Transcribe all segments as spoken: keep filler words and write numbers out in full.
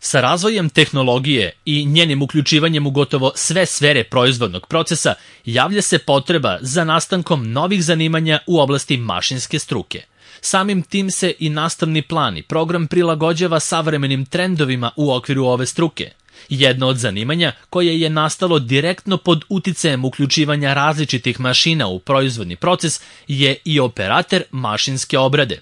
Sa razvojem tehnologije i njenim uključivanjem u gotovo sve sfere proizvodnog procesa javlja se potreba za nastankom novih zanimanja u oblasti mašinske struke. Samim tim se i nastavni plan i program prilagođava savremenim trendovima u okviru ove struke. Jedno od zanimanja koje je nastalo direktno pod uticajem uključivanja različitih mašina u proizvodni proces je i operater mašinske obrade.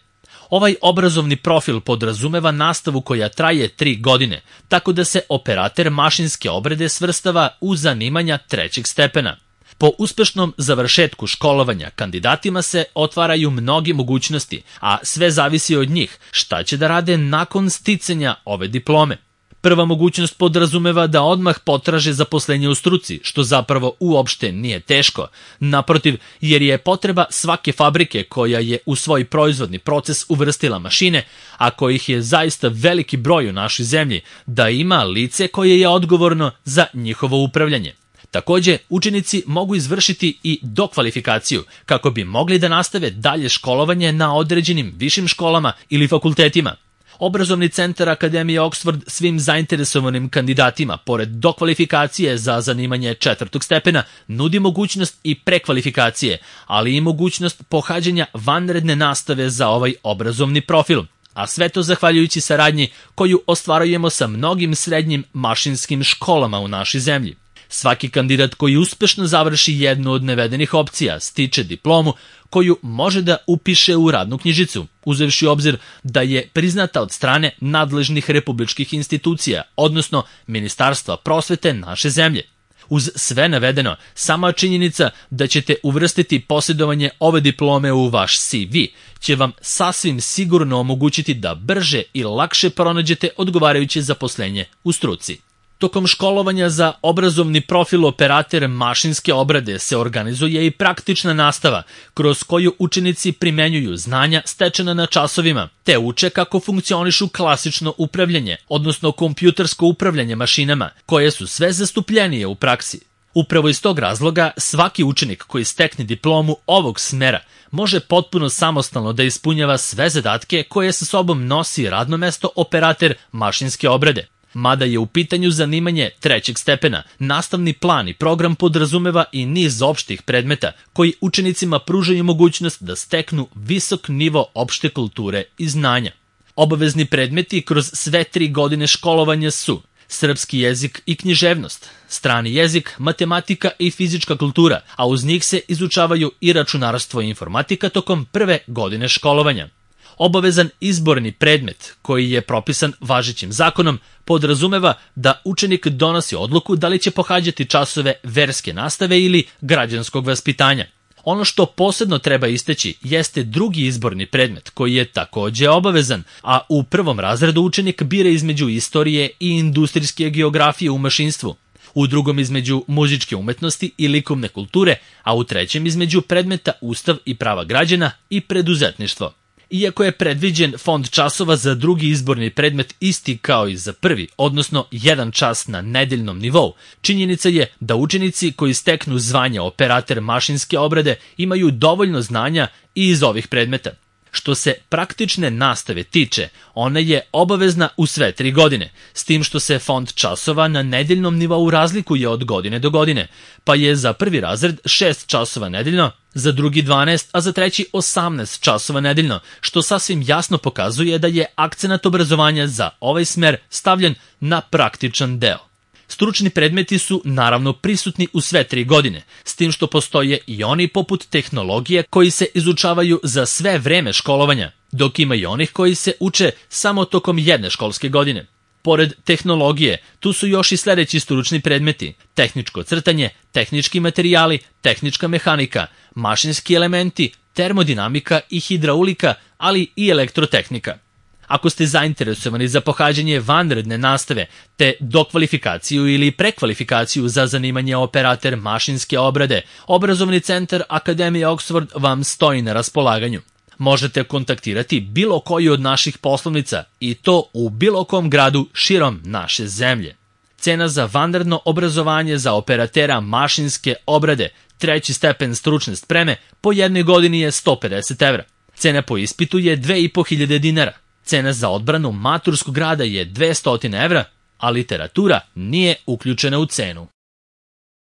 Ovaj obrazovni profil podrazumeva nastavu koja traje tri godine, tako da se operater mašinske obrade svrstava u zanimanja trećeg stepena. Po uspešnom završetku školovanja kandidatima se otvaraju mnogi mogućnosti, a sve zavisi od njih šta će da rade nakon sticanja ove diplome. Prva mogućnost podrazumeva da odmah potraže zaposlenje u struci, što zapravo uopšte nije teško. Naprotiv, jer je potreba svake fabrike koja je u svoj proizvodni proces uvrstila mašine, a kojih je zaista veliki broj u našoj zemlji, da ima lice koje je odgovorno za njihovo upravljanje. Takođe, učenici mogu izvršiti i dokvalifikaciju kako bi mogli da nastave dalje školovanje na određenim višim školama ili fakultetima. Obrazovni centar Akademije Oxford svim zainteresovanim kandidatima, pored dokvalifikacije za zanimanje četvrtog stepena, nudi mogućnost i prekvalifikacije, ali i mogućnost pohađanja vanredne nastave za ovaj obrazovni profil. A sve to zahvaljujući saradnji koju ostvarujemo sa mnogim srednjim mašinskim školama u našoj zemlji. Svaki kandidat koji uspešno završi jednu od navedenih opcija stiče diplomu koju može da upiše u radnu knjižicu, uzevši u obzir da je priznata od strane nadležnih republičkih institucija, odnosno Ministarstva prosvete naše zemlje. Uz sve navedeno, sama činjenica da ćete uvrstiti posjedovanje ove diplome u vaš C V će vam sasvim sigurno omogućiti da brže i lakše pronađete odgovarajuće zaposlenje u struci. Tokom školovanja za obrazovni profil operater mašinske obrade se organizuje i praktična nastava, kroz koju učenici primenjuju znanja stečena na časovima, te uče kako funkcionišu klasično upravljanje, odnosno kompjutersko upravljanje mašinama, koje su sve zastupljenije u praksi. Upravo iz tog razloga, svaki učenik koji stekne diplomu ovog smera može potpuno samostalno da ispunjava sve zadatke koje sa sobom nosi radno mesto operater mašinske obrade. Mada je u pitanju zanimanje trećeg stepena, nastavni plan i program podrazumeva i niz opštih predmeta koji učenicima pružaju mogućnost da steknu visok nivo opšte kulture i znanja. Obavezni predmeti kroz sve tri godine školovanja su srpski jezik i književnost, strani jezik, matematika i fizička kultura, a uz njih se izučavaju i računarstvo i informatika tokom prve godine školovanja. Obavezan izborni predmet, koji je propisan važećim zakonom, podrazumeva da učenik donosi odluku da li će pohađati časove verske nastave ili građanskog vaspitanja. Ono što posebno treba istaći jeste drugi izborni predmet, koji je takođe obavezan, a u prvom razredu učenik bira između istorije i industrijske geografije u mašinstvu, u drugom između muzičke umetnosti i likovne kulture, a u trećem između predmeta Ustav i prava građana i preduzetništvo. Iako je predviđen fond časova za drugi izborni predmet isti kao i za prvi, odnosno jedan čas na nedeljnom nivou, činjenica je da učenici koji steknu zvanje operater mašinske obrade imaju dovoljno znanja i iz ovih predmeta. Što se praktične nastave tiče, ona je obavezna u sve tri godine, s tim što se fond časova na nedeljnom nivou razlikuje od godine do godine, pa je za prvi razred šest časova nedeljno, za drugi dvanaest, a za treći osamnaest časova nedeljno, što sasvim jasno pokazuje da je akcenat obrazovanja za ovaj smer stavljen na praktičan deo. Stručni predmeti su naravno prisutni u sve tri godine, s tim što postoje i oni poput tehnologije koji se izučavaju za sve vreme školovanja, dok ima i onih koji se uče samo tokom jedne školske godine. Pored tehnologije, tu su još i sledeći stručni predmeti: tehničko crtanje, tehnički materijali, tehnička mehanika, mašinski elementi, termodinamika i hidraulika, ali i elektrotehnika. Ako ste zainteresovani za pohađanje vanredne nastave, te dokvalifikaciju ili prekvalifikaciju za zanimanje operater mašinske obrade, Obrazovni centar Akademije Oxford vam stoji na raspolaganju. Možete kontaktirati bilo koju od naših poslovnica i to u bilo kom gradu širom naše zemlje. Cena za vanredno obrazovanje za operatera mašinske obrade, treći stepen stručne spreme, po jednoj godini je sto pedeset evra. Cena po ispitu je dve i po hiljade dinara. Cena za odbranu maturskog rada je dvesta evra, a literatura nije uključena u cenu.